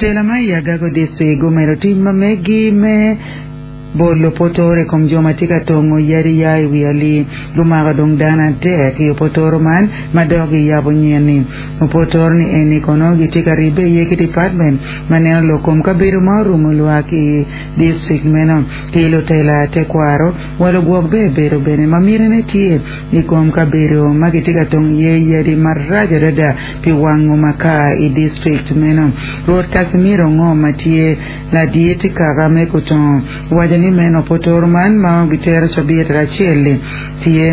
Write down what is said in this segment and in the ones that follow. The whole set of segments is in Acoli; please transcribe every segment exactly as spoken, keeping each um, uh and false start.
Lutela ma i Agago District gumedo tic ma megi me bolo potoro i kom jo ma tye ka tongo yadi ya i wi alii gumako dong dano adek i opotoro man ma dok giyabo nyen-ni opotoro ni eni kono gitye ka ribbe iye ki department ma neno lok kom kabedo ma orumo lwak i district meno ki lutela tekwaro wa lugwok be bedo bene ma mitine tye i kom kabedo ma gitye ka tongo iye yadi marac adada pi wango makar i district meno Rwot Casimiro Ngo ma tye ladit kaka me Kutongo waco ni meno potoro man ma gitero cabit acel-li tye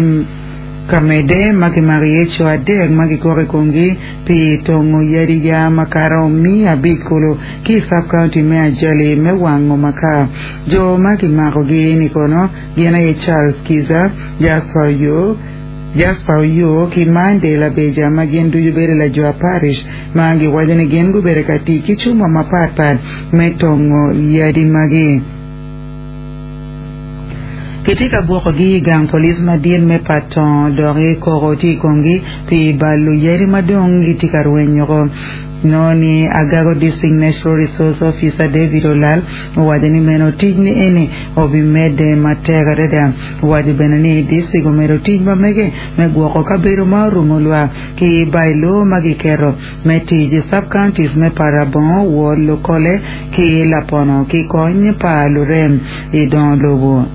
ka medde ma kimako iye co adek ma gikoko i komgi pi tongo yadi ya makato miya abic kulu ki i sub-county me Ajali me wango makar jo ma kimakogi ni kono gin aye Charles Kiza, Jasper Oyo, Jasper Oyo ki Mande Labeja ma gin ducu bedo Lajwa Parish ma giwaco ni gin gubedo ka tic ki cuma mapatpat me tongo yadi magi. Kitye ka gwokogi i gang police madit me Patong dok koko tye i komgi pi balo yadi ma dong gitye ka rwenyoko. No ni Agago District Natural Resource Officer David Olal owaco ni meno tic ni eni obimedde matek adada owaco bene ni district omedo tic ma mege me gwoko kabedo ma orumo lwak ki bailo ma giketo me tic i sub-counties me Parabongo, Wol, Lukole ki Lapono ki kony pa lurem i dongo lobo.